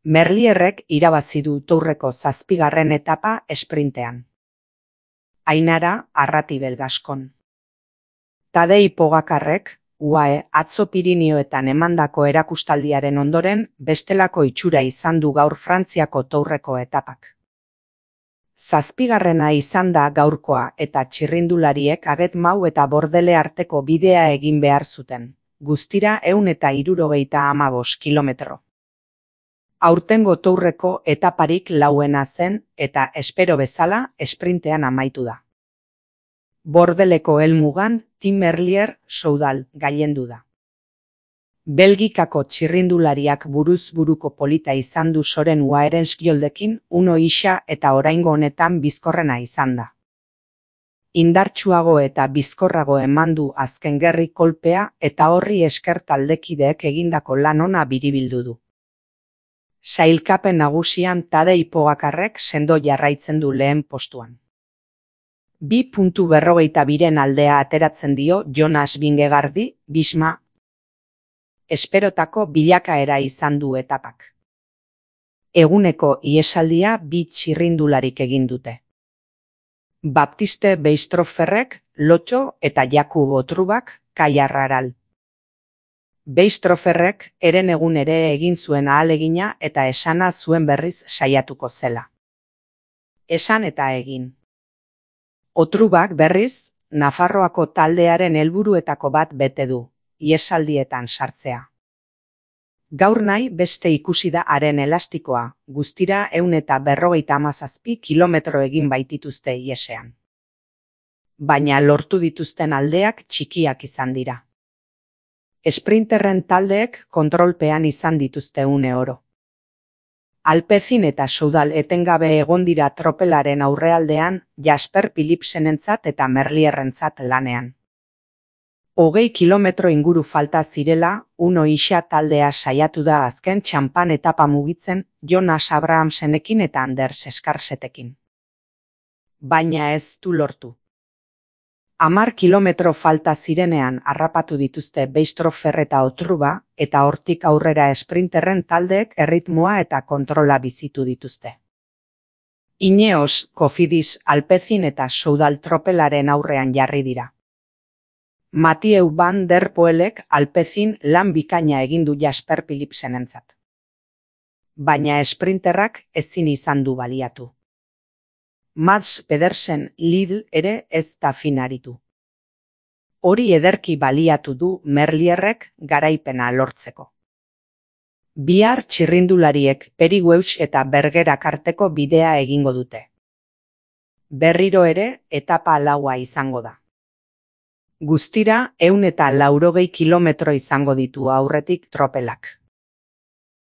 Merlierrek irabazi du Tourreko 7. etapa esprintean. Ainara Arratibel Gaskon. Tadej Pogacarrek, UAE atzo Pirinioetan emandako erakustaldiaren ondoren bestelako itxura izan du gaur Frantziako Tourreko etapak. 7. izan da gaurkoa eta txirrindulariek Agetmau eta Bordele arteko bidea egin behar zuten, guztira 175 kilometro. Aurtengo Tourreko etaparik lauena zen eta espero bezala esprintean amaitu da. Bordeleko helmugan Tim Merlier Soudal gailendu da. Belgikako txirrindulariak buruz buruko polita izan du Soren Waerenskjoldekin Uno Isa eta oraingo honetan bizkorrena izan da. Indartsuago eta bizkorrago eman du azken gerri kolpea eta horri esker taldekideek egindako lan ona biribildu du. Sailkapen nagusian Tadej Pogacarrek sendo jarraitzen du lehen postuan. 2.42 aldea ateratzen dio Jonas Vingegaardi, Bisma. Esperotako bilakaera izan du etapak. Eguneko ihesaldia 2 txirrindularik egin dute. Baptiste Beistrofferrek, Lotxo eta Jakub Otrubak, Kaiarraral. Beistrofferrek herenegun ere egin zuen ahalegina eta esana zuen berriz saiatuko zela. Esan eta egin. Otrubak berriz, Nafarroako taldearen helburuetako bat bete du, ihesaldietan sartzea. Gaur nahi beste ikusi da haren elastikoa, guztira 157 kilometro egin baitituzte ihesean. Baina lortu dituzten aldeak txikiak izan dira. Esprinterren taldeek kontrolpean izan dituzte une oro. Alpecin eta Soudal etengabe egon dira tropelaren aurrealdean Jasper Philipsenentzat eta Merlierrentzat lanean. 20 kilometro inguru falta zirela, Uno Isa taldea saiatu da azken txanpan etapa mugitzen Jonas Abrahamsenekin eta Anders Eskarsetekin. Baina ez du lortu. 10 kilometro falta zirenean harrapatu dituzte Beistroffer eta Otruba eta hortik aurrera esprinterren taldeek erritmoa eta kontrola bizitu dituzte. Ineos, Cofidis, Alpecin eta Soudal tropelaren aurrean jarri dira. Mathieu van der Poelek Alpecin lan bikaina egin du Jasper Philipsenentzat. Baina esprinterrak ezin izan du baliatu. Mads Pedersen Lidl ere ez da finaritu. Hori ederki baliatu du Merlierrek garaipena lortzeko. Bihar txirrindulariek Perigueux eta Bergerak arteko bidea egingo dute. Berriro ere etapa laua izango da. Guztira 180 kilometro izango ditu aurretik tropelak.